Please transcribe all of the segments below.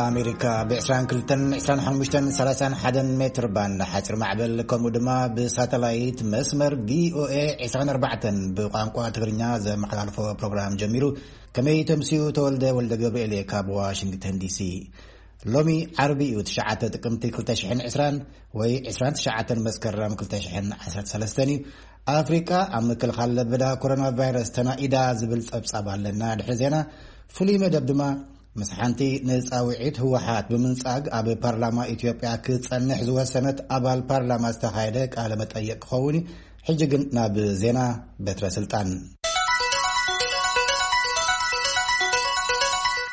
ኣሜሪካ ብ22፣ 25፣ 31 ሜትር ባንድ ሓፂር ማዕበል፣ ከምኡ ድማ ብሳተላይት መስመር ቪኦኤ 24 ብቋንቋ ትግርኛ ዘመሓላልፎ ፕሮግራም ጀሚሩ። ከመይ ተምስዩ? ተወልደ ወልደ ገብርኤል እየ ካብ ዋሽንግተን ዲሲ። ሎሚ ዓርቢ እዩ፣ ትሽዓተ ጥቅምቲ ክልተ ሽሕን ዕስራን ወይ ዕስራን ትሽዓተን መስከረም ክልተ ሽሕን ዓሰርተ ሰለስተን እዩ። ኣፍሪቃ ኣብ ምክልኻል ለበዳ ኮሮና ቫይረስ ተናኢዳ ዝብል ጸብጻብ ኣለና። ድሕሪ ዜና ፍሉይ መደብ ድማ ምስ ሓንቲ ንጻውዒት ህወሓት ብምንጻግ ኣብ ፓርላማ ኢትዮጵያ ክጸንሕ ዝወሰነት ኣባል ፓርላማ ዝተኻየደ ቃለ መጠየቅ ክኸውን እዩ። ሕጂ ግን ናብ ዜና በትረ ስልጣን።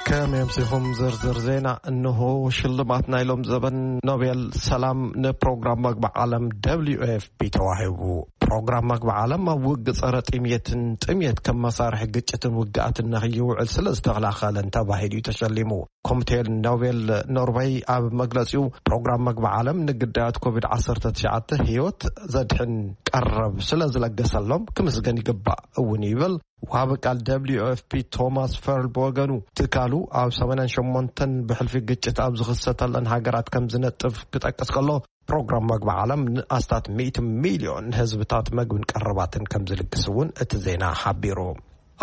ከመይ ኣምሲኹም? ዝርዝር ዜና እንሆ። ሽልማት ናይ ሎም ዘበን ኖቤል ሰላም ንፕሮግራም መግቢ ዓለም ደብሊዩ ኤፍ ፒ ተዋሂቡ። ፕሮግራም መግቢ ዓለም ኣብ ውግእ ጸረ ጥምየትን ጥምየት ከም መሳርሒ ግጭትን ውግኣትን ንኽይውዕል ስለ ዝተኸላኸለን ተባሂሉ እዩ ተሸሊሙ። ኮሚቴ ኖቤል ኖርወይ ኣብ መግለጺኡ፣ ፕሮግራም መግቢ ዓለም ንግዳያት ኮቪድ ዓሰርተ ትሽዓተ ህይወት ዘድሕን ቀረብ ስለ ዝለገሰሎም ክምስገን ይግባእ እውን ይብል። ወሃቢ ቃል ደብሊዩ ኤፍ ፒ ቶማስ ፈርል ብወገኑ፣ ትካሉ ኣብ ሰማንያን ሸሞንተን ብሕልፊ ግጭት ኣብ ዝኽሰተለን ሃገራት ከም ዝነጥፍ ክጠቅስ ከሎ፣ ፕሮግራም መግቢ ዓለም ንኣስታት ሚእቲ ሚልዮን ህዝብታት መግብን ቀረባትን ከም ዝልግስ እውን እቲ ዜና ሓቢሩ።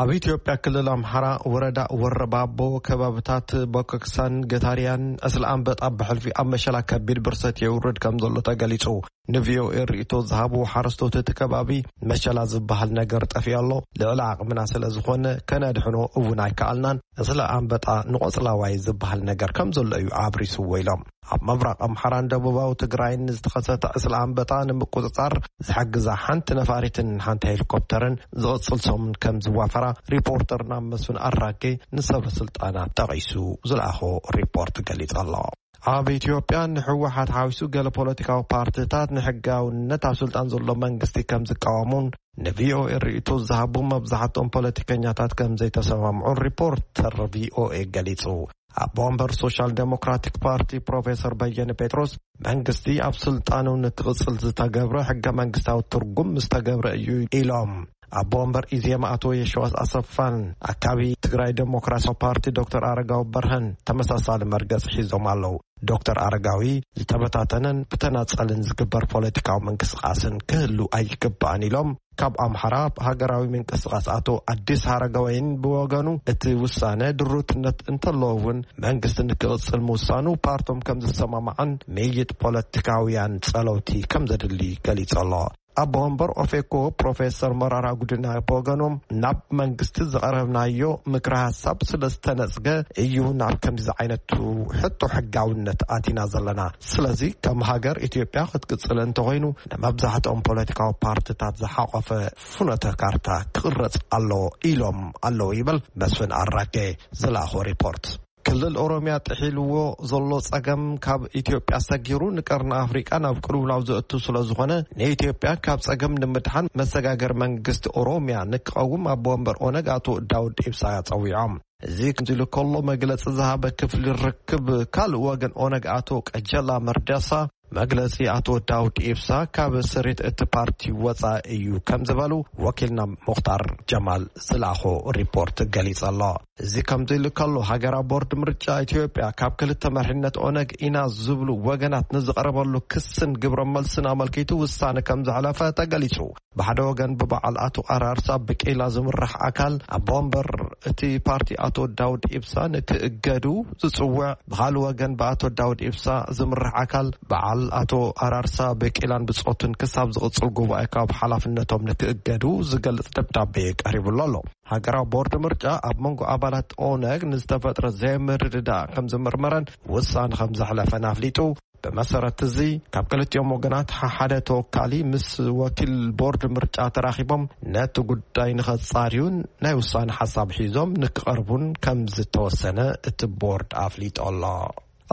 ኣብ ኢትዮጵያ ክልል ኣምሓራ ወረዳ ወረባቦ ከባብታት ቦኮክሳን ገታርያን ዕስለ ኣንበጣ ብሕልፊ ኣብ መሸላ ከቢድ ብርሰት የውርድ ከም ዘሎ ተገሊጹ። ንቪኦኤ ርእይቶ ዝሃቡ ሓረስቶት እቲ ከባቢ፣ መሸላ ዝበሃል ነገር ጠፊኡ ኣሎ፣ ልዕሊ ዓቕምና ስለ ዝኾነ ከነድሕኖ እውን ኣይከኣልናን፣ ዕስለ ኣንበጣ ንቆጽላዋይ ዝበሃል ነገር ከም ዘሎ እዩ ኣብሪስዎ ኢሎም። ኣብ ምብራቕ ኣምሓራን ደቡባዊ ትግራይን ዝተኸሰተ ዕስለ ኣንበጣ ንምቁጽጻር ዝሕግዛ ሓንቲ ነፋሪትን ሓንቲ ሄሊኮፕተርን ዝቕጽል ሰሙን ከም ዝዋፈራ ሪፖርተርና መስፍን ኣራጌ ንሰበ ስልጣናት ጠቒሱ ዝለኣኾ ሪፖርት ገሊጹ ኣሎ። ኣብ ኢትዮጵያ ንህወሓት ሓዊሱ ገለ ፖለቲካዊ ፓርቲታት ንሕጋውነት ኣብ ስልጣን ዘሎ መንግስቲ ከም ዝቃወሙን ንቪኦኤ ርእይቶ ዝሃቡ መብዛሕትኦም ፖለቲከኛታት ከም ዘይተሰማምዑን ሪፖርተር ቪኦኤ ገሊጹ። ኣቦ ወንበር ሶሻል ዴሞክራቲክ ፓርቲ ፕሮፌሰር በየነ ጴጥሮስ፣ መንግስቲ ኣብ ስልጣኑ ንክቕጽል ዝተገብረ ሕገ መንግስታዊ ትርጉም ምስ ተገብረ እዩ ኢሎም። ኣቦ ወንበር ኢዜማ ኣቶ የሸዋስ ኣሰፋን ኣካቢ ትግራይ ዴሞክራሲያዊ ፓርቲ ዶክተር ኣረጋዊ በርሀን ተመሳሳሊ መርገጽ ሒዞም ኣለዉ። ዶክተር ኣረጋዊ፣ ዝተበታተነን ብተናጸልን ዝግበር ፖለቲካዊ ምንቅስቃስን ክህሉ ኣይግባእን ኢሎም። ካብ ኣምሓራ ሃገራዊ ምንቅስቃስ ኣቶ ኣዲስ ሃረጋወይን ብወገኑ፣ እቲ ውሳነ ድሩትነት እንተለዎ እውን መንግስቲ ንክቕጽል ምውሳኑ ፓርቶም ከም ዝሰማማዕን ምይይጥ ፖለቲካውያን ጸለውቲ ከም ዘድሊ ገሊጹ ኣሎ። ኣቦ ወንበር ኦፌኮ ፕሮፌሰር መራራ ጉዲና ብወገኖም፣ ናብ መንግስቲ ዘቕረብናዮ ምክረ ሓሳብ ስለ ዝተነጽገ እዩ ናብ ከምዚ ዓይነቱ ሕቶ ሕጋውነት ኣቲና ዘለና። ስለዚ ከም ሃገር ኢትዮጵያ ክትቅጽል እንተኾይኑ፣ ንመብዛሕትኦም ፖለቲካዊ ፓርቲታት ዝሓቆፈ ፍኖተ ካርታ ክቕረጽ ኣለዎ ኢሎም ኣለዉ ይብል መስፍን ኣራጌ ዝለኣኾ ሪፖርት። ክልል ኦሮሚያ ጥሒልዎ ዘሎ ጸገም ካብ ኢትዮጵያ ሰጊሩ ንቀርኒ ኣፍሪቃ ናብ ቅልውላው ዘእቱ ስለ ዝኾነ፣ ንኢትዮጵያ ካብ ጸገም ንምድሓን መሰጋገሪ መንግስቲ ኦሮሚያ ንክቐውም ኣቦ ወንበር ኦነግ ኣቶ ዳውድ ኢብሳ ጸዊዖም። እዚ ከምዚ ኢሉ ከሎ፣ መግለጺ ዝሃበ ክፍሊ ርክብ ካልእ ወገን ኦነግ ኣቶ ቀጀላ መርዳሳ፣ መግለጺ ኣቶ ዳውድ ኢብሳ ካብ ስሪት እቲ ፓርቲ ወጻኢ እዩ ከም ዝበሉ ወኪልና ሙኽታር ጀማል ዝለኣኾ ሪፖርት ገሊጹ ኣሎ። እዚ ከምዚ ኢሉ ከሎ፣ ሃገራዊ ቦርድ ምርጫ ኢትዮጵያ ካብ ክልተ መሪሕነት ኦነግ ኢና ዝብሉ ወገናት ንዝቐረበሉ ክስን ግብረ መልስን ኣመልኪቱ ውሳነ ከም ዘሕለፈ ተገሊጹ። ብሓደ ወገን ብበዓል ኣቶ ኣራርሳ ብቂላ ዝምራሕ ኣካል ኣቦ ወንበር እቲ ፓርቲ ኣቶ ዳውድ ኢብሳ ንክእገዱ ዝጽውዕ፣ ብኻልእ ወገን ብኣቶ ዳውድ ኢብሳ ዝምራሕ ኣካል በዓል ኣቶ ኣራርሳ ብቂላን ብጾቱን ክሳብ ዝቕጽል ጉባኤ ካብ ሓላፍነቶም ንክእገዱ ዝገልጽ ደብዳቤ ቀሪቡሉ ኣሎ። ሃገራዊ ቦርድ ምርጫ ኣብ መንጎ ኣባላት ኦነግ ንዝተፈጥረ ዘይምርድዳእ ከም ዝምርመረን ውሳነ ከም ዘሕለፈን ኣፍሊጡ። ብመሰረት እዚ፣ ካብ ክልቲኦም ወገናት ሓደ ተወካሊ ምስ ወኪል ቦርድ ምርጫ ተራኺቦም ነቲ ጉዳይ ንኸጻርዩን ናይ ውሳነ ሓሳብ ሒዞም ንክቐርቡን ከም ዝተወሰነ እቲ ቦርድ ኣፍሊጡ ኣሎ።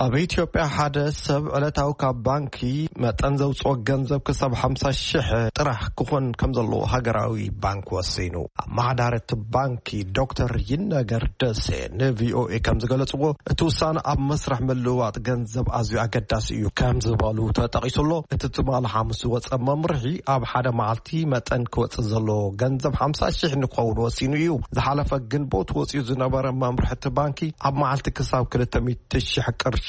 ኣብ ኢትዮጵያ ሓደ ሰብ ዕለታዊ ካብ ባንኪ መጠን ዘውፅኦ ገንዘብ ክሳብ ሓምሳ ሺሕ ጥራሕ ክኾን ከም ዘለዎ ሃገራዊ ባንክ ወሲኑ። ኣመሓዳሪ እቲ ባንኪ ዶክተር ይነገር ደሴ ንቪኦኤ ከም ዝገለፅዎ፣ እቲ ውሳነ ኣብ መስርሕ ምልውዋጥ ገንዘብ ኣዝዩ ኣገዳሲ እዩ ከም ዝበሉ ተጠቒሱ ኣሎ። እቲ ትማሊ ሓሙስ ዝወፀ መምርሒ ኣብ ሓደ መዓልቲ መጠን ክወፅእ ዘለዎ ገንዘብ ሓምሳ ሺሕ ንክኸውን ወሲኑ እዩ። ዝሓለፈ ግንቦት ወፂኡ ዝነበረ መምርሒ እቲ ባንኪ ኣብ መዓልቲ ክሳብ ክልተ ሚእቲ ሺሕ ቅርሺ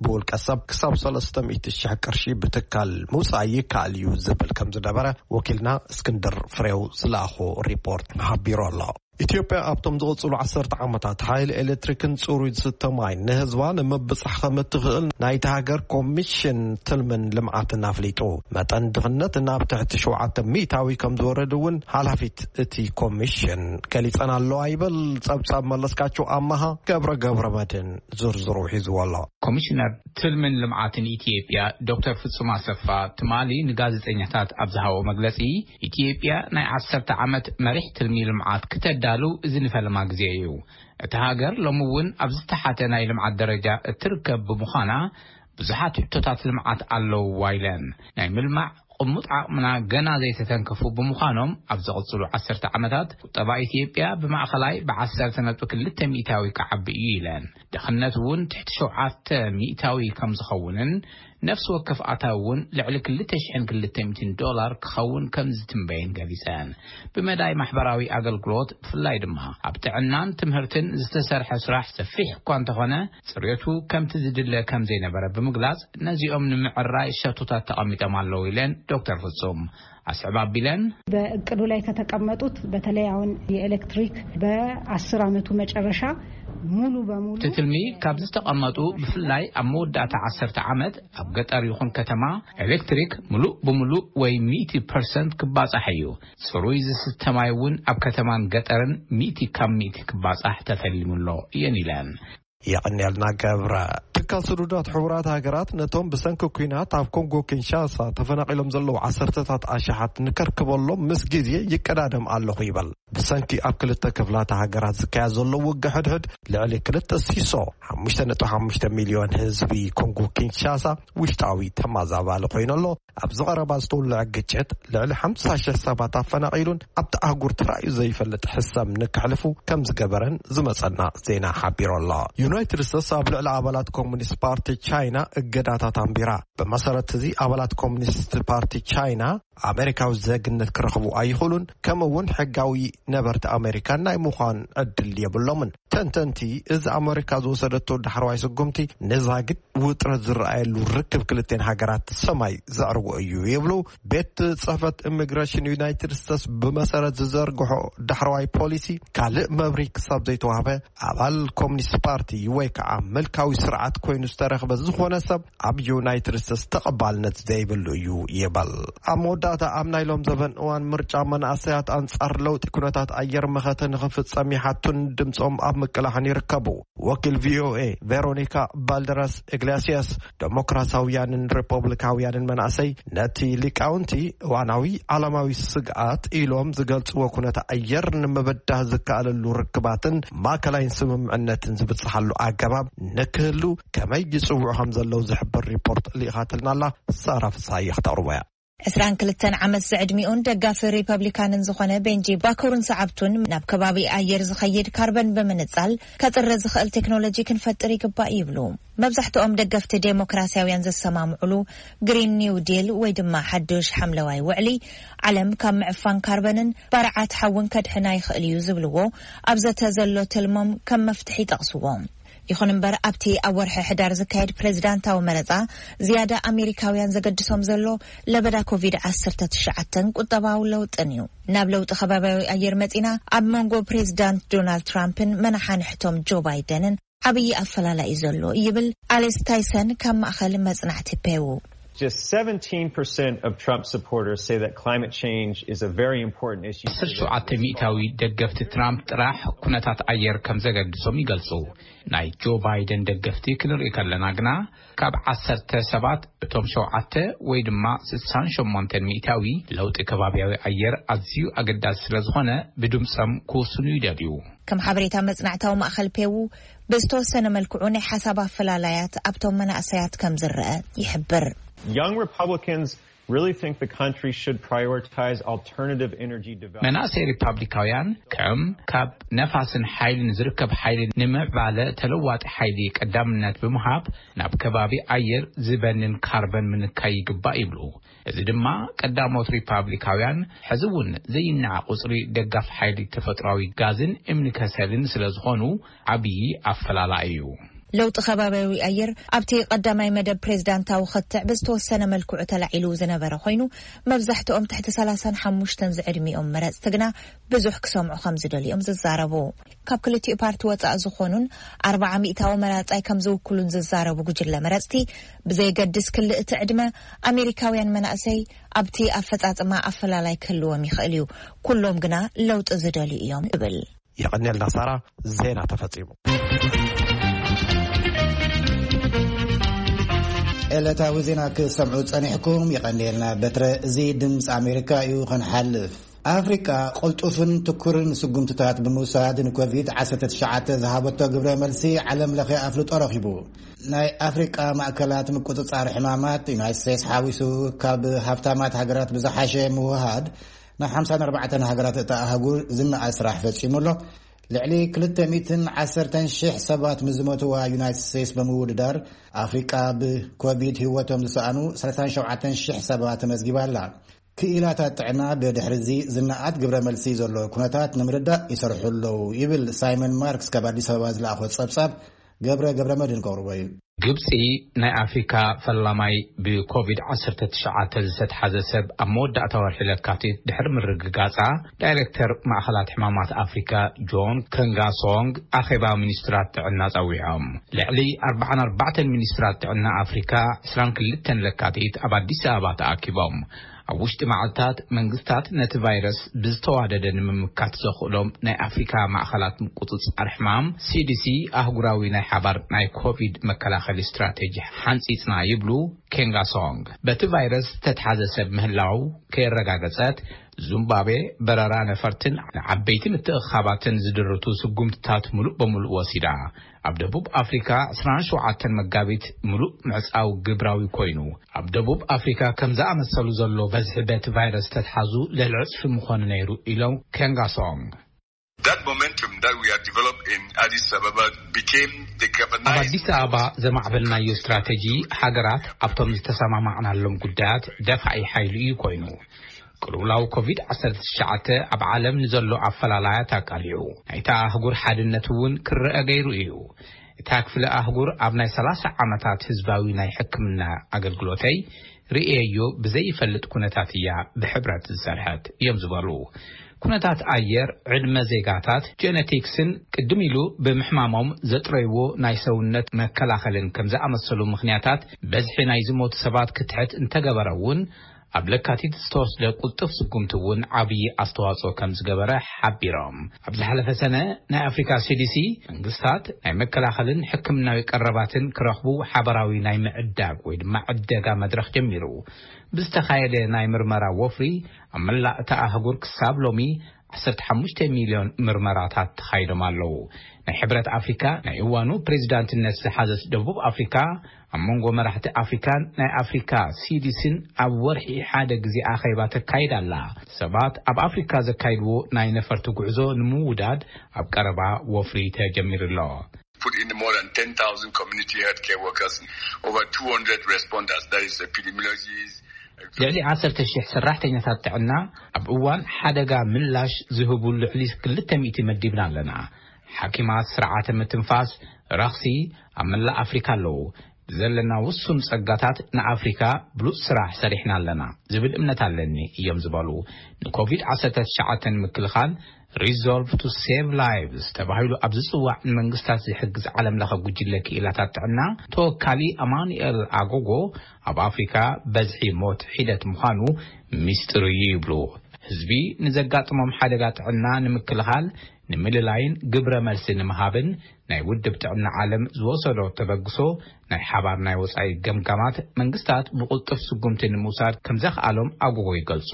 ብውልቀ ሰብ ክሳብ ሰለስተ ሚእቲ ሺሕ ቅርሺ ብትካል ምውፃእ ይከኣል እዩ ዝብል ከም ዝነበረ ወኪልና እስክንድር ፍሬው ዝለኣኾ ሪፖርት ሓቢሩ ኣሎ። ኢትዮጵያ ኣብቶም ዝቕፅሉ ዓሰርተ ዓመታት ሓይሊ ኤሌክትሪክን ፅሩይ ዝስተ ማይ ንህዝባ ንምብፃሕ ከም እትኽእል ናይቲ ሃገር ኮሚሽን ትልምን ልምዓትን ኣፍሊጡ። መጠን ድኽነት ናብ ትሕቲ ሸውዓተ ሚእታዊ ከም ዝወረድ እውን ሓላፊት እቲ ኮሚሽን ገሊፀን ኣለዋ ይብል። ጸብጻብ መለስካቸው ኣማሃ። ገብረ ገብረ መድህን ዝርዝሩ ሒዝዎ ኣሎ። ኮሚሽነር ትልምን ልምዓትን ኢትዮጵያ ዶክተር ፍጹም ኣሰፋ ትማሊ ንጋዜጠኛታት ኣብ ዝሃቦ መግለጺ፣ ኢትዮጵያ ናይ ዓሰርተ ዓመት መሪሕ ትልሚ ልምዓት ክተዳሉ እዚ ንፈለማ ግዜ እዩ። እታ ሃገር ሎሚ እውን ኣብ ዝተሓተ ናይ ልምዓት ደረጃ እትርከብ ብምዃና፣ ብዙሓት ሕቶታት ልምዓት ኣለውዋ ኢለን። ናይ ምልማዕ ቅሙጥ ዓቕምና ገና ዘይተተንከፉ ብምዃኖም፣ ኣብ ዝቕጽሉ ዓሰርተ ዓመታት ቁጠባ ኢትዮጵያ ብማእኸላይ ብዓሰርተ ነጥቢ ክልተ ሚእታዊ ክዓቢ እዩ ኢለን። ድኽነት እውን ትሕቲ ሸውዓተ ሚእታዊ ከም ዝኸውንን፣ ነፍሲ ወከፍ ኣታዊ እውን ልዕሊ ክልተ ሽሕን ክልተ ሚእትን ዶላር ክኸውን ከም ዝትንበየን ገሊጸን። ብመዳይ ማሕበራዊ ኣገልግሎት፣ ብፍላይ ድማ ኣብ ጥዕናን ትምህርትን ዝተሰርሐ ስራሕ ሰፊሕ እኳ እንተኾነ፣ ጽሬቱ ከምቲ ዝድለ ከም ዘይነበረ ብምግላጽ፣ ነዚኦም ንምዕራይ ሸቶታት ተቐሚጦም ኣለዉ ኢለን ዶክተር ፍጹም። ኣስዕብ ኣቢለን፣ በእቅዱ ላይ ከተቀመጡት በተለይ አሁን የኤሌክትሪክ በአስር ዓመቱ መጨረሻ ሙሉ በሙሉ እቲ ትልሚ ካብ ዝተቐመጡ፣ ብፍላይ ኣብ መወዳእታ ዓሰርተ ዓመት ኣብ ገጠር ይኹን ከተማ፣ ኤሌክትሪክ ምሉእ ብምሉእ ወይ ሚእቲ ፐርሰንት ክባጻሕ እዩ። ጽሩይ ዝስተ ማይ እውን ኣብ ከተማን ገጠርን ሚእቲ ካብ ሚእቲ ክባጻሕ ተተሊሙ ኣሎ እየን ኢለን። የቐንየልና ገብረ። ትካል ስዱዳት ሕቡራት ሃገራት ነቶም ብሰንኪ ኲናት ኣብ ኮንጎ ኪንሻሳ ተፈናቒሎም ዘለዉ ዓሰርተታት ኣሽሓት ንከርክበሎም ምስ ግዜ ይቀዳደም ኣለኹ ይበል። ብሰንኪ ኣብ ክልተ ክፍላተ ሃገራት ዝካየድ ዘሎ ውግእ ሕድሕድ ልዕሊ ክልተ ሲሶ፣ ሓሙሽተ ነጥቢ ሓሙሽተ ሚልዮን ህዝቢ ኮንጎ ኪንሻሳ ውሽጣዊ ተማዛባሊ ኮይኑ ኣሎ። ኣብዚ ቀረባ ዝተወልዐ ግጭት ልዕሊ ሓምሳ ሽሕ ሰባት ኣፈናቒሉን ኣብቲ ኣህጉር ተራእዩ ዘይፈልጥ ሕሰም ንከሕልፉ ከም ዝገበረን ዝመጸና ዜና ሓቢሩ ኣሎ። ዩናይትድ ስቴትስ ኣብ ልዕሊ ኣባላት ኮሙኒስት ፓርቲ ቻይና እገዳታት ኣንቢራ። ብመሰረት እዚ ኣባላት ኮሙኒስት ፓርቲ ቻይና ኣሜሪካዊ ዜግነት ክረኽቡ ኣይኽእሉን፣ ከምኡ እውን ሕጋዊ ነበርቲ ኣሜሪካ ናይ ምዃን ዕድል የብሎምን። ተንተንቲ፣ እዚ ኣሜሪካ ዝወሰደቶ ዳሕረዋይ ስጉምቲ ንዛግድ ውጥረት ዝረኣየሉ ርክብ ክልቴን ሃገራት ሰማይ ዘዕርጎ እዩ ይብሉ። ቤት ጽሕፈት ኢሚግሬሽን ዩናይትድ ስቴትስ ብመሰረት ዝዘርግሖ ዳሕረዋይ ፖሊሲ፣ ካልእ መብርሂ ክሳብ ዘይተዋህበ፣ ኣባል ኮሙኒስት ፓርቲ ወይ ከዓ ምልካዊ ስርዓት ኮይኑ ዝተረኽበ ዝኾነ ሰብ ኣብ ዩናይትድ ስቴትስ ተቐባልነት ዘይብሉ እዩ ይበል። ኣብ መወዳእታ፣ ኣብ ናይ ሎም ዘበን እዋን ምርጫ፣ መናእሰያት ኣንጻር ለውጢ ኩነታት ኣየር መኸተ ንኽፍጸም ይሓቱን ድምጾም ኣብ ምቅላሕን ይርከቡ። ወኪል ቪኦኤ ቬሮኒካ ባልደራስ ኢግላሲያስ፣ ዴሞክራሲያውያንን ሪፖብሊካውያንን መናእሰይ ነቲ ሊቃውንቲ እዋናዊ ዓለማዊ ስግኣት ኢሎም ዝገልጽዎ ኩነታት ኣየር ንምብዳህ ዝከኣለሉ ርክባትን ማእከላይን ስምምዕነትን ዝብጽሓሉ ኣገባብ ንክህሉ ከመይ ይጽውዑ ከም ዘለዉ ዝሕብር ሪፖርት ልኢኻትልና ኣላ። ሳራ ፍስሃየ ክተቕርቦ እያ። ዕስራን ክልተን ዓመት ዝዕድሚኡን ደጋፊ ሪፐብሊካንን ዝኾነ ቤንጂ ባኮርን ሰዓብቱን፣ ናብ ከባቢ ኣየር ዝኸይድ ካርበን ብምንጻል ከጥረ ዝኽእል ቴክኖሎጂ ክንፈጥር ይግባእ ይብሉ። መብዛሕትኦም ደገፍቲ ዴሞክራሲያውያን ዘሰማምዑሉ ግሪን ኒው ዲል ወይ ድማ ሓዱሽ ሓምለዋይ ውዕሊ፣ ዓለም ካብ ምዕፋን ካርበንን ባርዓት ሓውን ከድሕና ይኽእል እዩ ዝብልዎ ኣብ ዘተ ዘሎ ትልሞም ከም መፍትሒ ይጠቕስዎ። ይኹን እምበር፣ ኣብቲ ኣብ ወርሒ ሕዳር ዝካየድ ፕሬዚዳንታዊ መረጻ ዝያዳ ኣሜሪካውያን ዘገድሶም ዘሎ ለበዳ ኮቪድ ዓሰርተ ትሽዓተን ቁጠባዊ ለውጥን እዩ። ናብ ለውጢ ከባቢያዊ ኣየር መጺና፣ ኣብ መንጎ ፕሬዚዳንት ዶናልድ ትራምፕን መናሓንሕቶም ጆ ባይደንን ዓብዪ ኣፈላላይ እዩ ዘሎ ይብል ኣሌስ ታይሰን ካብ ማእኸል መጽናዕቲ ፔው። Just seventeen percent of Trump supporters say that climate change is a very important issue. ዓሰርተ ሸውዓተ ሚእታዊ ደገፍቲ ትራምፕ ጥራሕ ኩነታት ኣየር ከም ዘገድሶም ይገልጹ። ናይ ጆ ባይደን ደገፍቲ ክንርኢ ከለና ግና፣ ካብ ዓሰርተ ሰባት እቶም ሸውዓተ ወይ ድማ ስሳን ሸሞንተን ሚእታዊ ለውጢ ከባቢያዊ ኣየር ኣዝዩ ኣገዳሲ ስለ ዝኾነ፣ ብድምጾም ክውስኑ ይደልዩ። ከም ሓበሬታ መጽናዕታዊ ማእከል ፔዉ፣ ብዝተወሰነ መልክዑ ናይ ሓሳብ ኣፈላላያት ኣብቶም መናእሰያት ከም ዝረአ ይሕብር። Young Republicans really think the country should prioritize alternative energy development. መናእሰይ ሪፓብሊካውያን ከም ካብ ነፋስን ሓይልን ዝርከብ ሓይሊ ንምዕባለ ተለዋጢ ሓይሊ ቀዳምነት ብምሃብ፣ ናብ ከባቢ ኣየር ዝበንን ካርበን ምንካይ ይግባእ ይብሉ። እዚ ድማ ቀዳሞት ሪፓብሊካውያን ሕዚ እውን ዘይነዓ ቁጽሪ ደጋፍ ሓይሊ ተፈጥሯዊ ጋዝን እምኒ ከሰልን ስለ ዝኾኑ፣ ዓብዪ ኣፈላላይ እዩ። ለውጢ ከባቢያዊ ኣየር ኣብቲ ቀዳማይ መደብ ፕሬዝዳንታዊ ክትዕ ብዝተወሰነ መልክዑ ተላዒሉ ዝነበረ ኮይኑ፣ መብዛሕትኦም ትሕቲ ሰላሳን ሓሙሽተን ዝዕድሚኦም መረጽቲ ግና ብዙሕ ክሰምዑ ከም ዝደልዮም ዝዛረቡ። ካብ ክልቲኡ ፓርቲ ወጻእ ዝኾኑን ኣርባዓ ሚእታዊ መራጻይ ከም ዝውክሉን ዝዛረቡ ጉጅለ መረጽቲ፣ ብዘይገድስ ክልእቲ ዕድመ፣ ኣሜሪካውያን መናእሰይ ኣብቲ ኣፈጻጽማ ኣፈላላይ ክህልዎም ይኽእል እዩ፣ ኩሎም ግና ለውጢ ዝደልዩ እዮም ይብል። የቐንየልና ሳራ። ዜና ተፈጺሙ። ዕለታዊ ዜና ክሰምዑ ጸኒሕኩም የቐንየልና። በትረ፣ እዚ ድምፂ ኣሜሪካ እዩ። ክንሓልፍ፣ ኣፍሪቃ ቅልጡፍን ትኩርን ስጉምትታት ብምውሳድ ንኮቪድ ዓሰርተ ትሽዓተ ዝሃበቶ ግብረ መልሲ ዓለም ለኸ ኣፍልጦ ረኺቡ። ናይ ኣፍሪቃ ማእከላት ምቁጽጻር ሕማማት፣ ዩናይትድ ስቴትስ ሓዊሱ፣ ካብ ሃብታማት ሃገራት ብዝሓሸ ምውሃድ፣ ናብ ሓምሳን ኣርባዕተን ሃገራት እታ ኣህጉር ዝነኣድ ስራሕ ፈጺሙ ኣሎ። ልዕሊ ክልተ ሚእትን ዓሰርተን ሽሕ ሰባት ንዝሞትዋ ዩናይትድ ስቴትስ ብምውድዳር፣ ኣፍሪቃ ብኮቪድ ህይወቶም ዝሰኣኑ ሰላሳን ሸውዓተን ሽሕ ሰባት ተመዝጊባ ኣላ። ክኢላታት ጥዕና ብድሕሪ እዚ ዝነኣድ ግብረ መልሲ ዘሎ ኩነታት ንምርዳእ ይሰርሑ ኣለዉ ይብል ሳይመን ማርክስ ካብ ኣዲስ ኣበባ ዝለኣኾ ጸብጻብ። ገብረ ገብረ መድህን ከቕርቦ እዩ። ግብጺ ናይ ኣፍሪካ ፈላማይ ብኮቪድ ዓሰርተ ትሽዓተ ዝተትሓዘ ሰብ ኣብ መወዳእታ ወርሒ ለካቲት ድሕሪ ምርግጋጻ፣ ዳይሬክተር ማእኸላት ሕማማት ኣፍሪካ ጆን ከንጋሶንግ ኣኼባ ሚኒስትራት ጥዕና ጸዊዖም። ልዕሊ ኣርባዓን ኣርባዕተን ሚኒስትራት ጥዕና ኣፍሪካ ዕስራን ክልተን ለካቲት ኣብ ኣዲስ ኣበባ ተኣኪቦም። ኣብ ውሽጢ መዓልታት መንግስታት ነቲ ቫይረስ ብዝተዋደደ ንምምካት ዘኽእሎም ናይ ኣፍሪካ ማእኸላት ምቁጽጻር ሕማም፣ ሲዲሲ፣ ኣህጉራዊ ናይ ሓባር ናይ ኮቪድ መከላኸሊ ስትራቴጂ ሓንጺጽና ይብሉ ኬንጋሶንግ። በቲ ቫይረስ ዝተትሓዘ ሰብ ምህላው ከየረጋገጸት፣ ዙምባቤ በረራ ነፈርትን ንዓበይቲ ምትእኽኻባትን ዝድርቱ ስጉምትታት ምሉእ በምሉእ ወሲዳ። ኣብ ደቡብ ኣፍሪካ ዕስራን ሸውዓተን መጋቢት ምሉእ ምዕጻው ግብራዊ ኮይኑ። ኣብ ደቡብ ኣፍሪካ ከም ዝኣመሰሉ ዘሎ በዝሒ በቲ ቫይረስ ተትሓዙ ልዕሊ ዕጽፊ ምኾነ ነይሩ ኢሎም ኬንጋሶንግ። That momentum that we had developed in Addis Ababa became the ኣብ ኣዲስ ኣበባ ዘማዕበልናዮ ስትራቴጂ ሃገራት ኣብቶም ዝተሰማማዕናሎም ጉዳያት ደፋዒ ሓይሊ እዩ ኮይኑ። ቅልውላው ኮቪድ ዓሰርተ ትሽዓተ ኣብ ዓለም ንዘሎ ኣፈላላያት ኣቃሊዑ፣ ናይታ ኣህጉር ሓድነት እውን ክረአ ገይሩ እዩ። እታ ክፍለ ኣህጉር ኣብ ናይ ሰላሳ ዓመታት ህዝባዊ ናይ ሕክምና ኣገልግሎተይ ርእየዮ ብዘይፈልጥ ኩነታት እያ ብሕብረት ዝሰርሐት እዮም ዝበሉ። ኩነታት ኣየር፣ ዕድመ ዜጋታት፣ ጀነቲክስን ቅድም ኢሉ ብምሕማሞም ዘጥረይዎ ናይ ሰውነት መከላኸልን ከም ዝኣመሰሉ ምኽንያታት በዝሒ ናይ ዝሞቱ ሰባት ክትሕት እንተገበረ እውን፣ ኣብ ለካቲት ዝተወስደ ቁልጡፍ ስጉምቲ እውን ዓብዪ ኣስተዋፅኦ ከም ዝገበረ ሓቢሮም። ኣብ ዝሓለፈ ሰነ ናይ ኣፍሪካ ሲዲሲ መንግስታት ናይ መከላኸልን ሕክምናዊ ቀረባትን ክረኽቡ ሓበራዊ ናይ ምዕዳግ ወይ ድማ ዕደጋ መድረኽ ጀሚሩ። ብዝተኻየደ ናይ ምርመራ ወፍሪ ኣብ መላእ እታ ኣህጉር ክሳብ ሎሚ ዓሰርተ ሓሙሽተ ሚልዮን ምርመራታት ተኻይዶም ኣለዉ። ናይ ሕብረት ኣፍሪካ ናይ እዋኑ ፕሬዚዳንትነት ዝሓዘት ደቡብ ኣፍሪካ ኣብ መንጎ መራሕቲ ኣፍሪካን ናይ ኣፍሪካ ሲዲሲን ኣብ ወርሒ ሓደ ግዜ ኣኼባ ተካይድ ኣላ። ሰባት ኣብ ኣፍሪካ ዘካይድዎ ናይ ነፈርቲ ጉዕዞ ንምውዳድ ኣብ ቀረባ ወፍሪ ተጀሚሩ ኣሎ። Put in more than ten thousand community healthcare workers, over two hundred responders, that is epidemiologists. ልዕሊ ዓሰርተ ሽሕ ሰራሕተኛታት ጥዕና ኣብ እዋን ሓደጋ ምላሽ ዝህቡ ልዕሊ ክልተ ሚእቲ መዲብና ኣለና። ሓኪማት፣ ስርዓተ ምትንፋስ፣ ረኽሲ ኣብ መላእ ኣፍሪካ ኣለዉ። ብዘለና ውሱን ጸጋታት ንኣፍሪካ ብሉጽ ስራሕ ሰሪሕና ኣለና ዝብል እምነት ኣለኒ እዮም ዝበሉ። ንኮቪድ ዓሰርተ ትሽዓተ ንምክልኻል Resolve to Save Lives ተባሂሉ ኣብ ዝጽዋዕ ንመንግስታት ዝሕግዝ ዓለም ለኸ ጉጅለ ክኢላታት ጥዕና ተወካሊ ኣማኑኤል ኣጎጎ፣ ኣብ ኣፍሪካ በዝሒ ሞት ሒደት ምዃኑ ሚስጥር እዩ ይብሉ። ህዝቢ ንዘጋጥሞም ሓደጋ ጥዕና ንምክልኻል፣ ንምልላይን ግብረ መልሲ ንምሃብን ናይ ውድብ ጥዕና ዓለም ዝወሰዶ ተበግሶ ናይ ሓባር ናይ ወጻኢ ገምጋማት መንግስታት ብቕልጡፍ ስጉምቲ ንምውሳድ ከም ዘኽኣሎም ኣጎጎ ይገልጹ።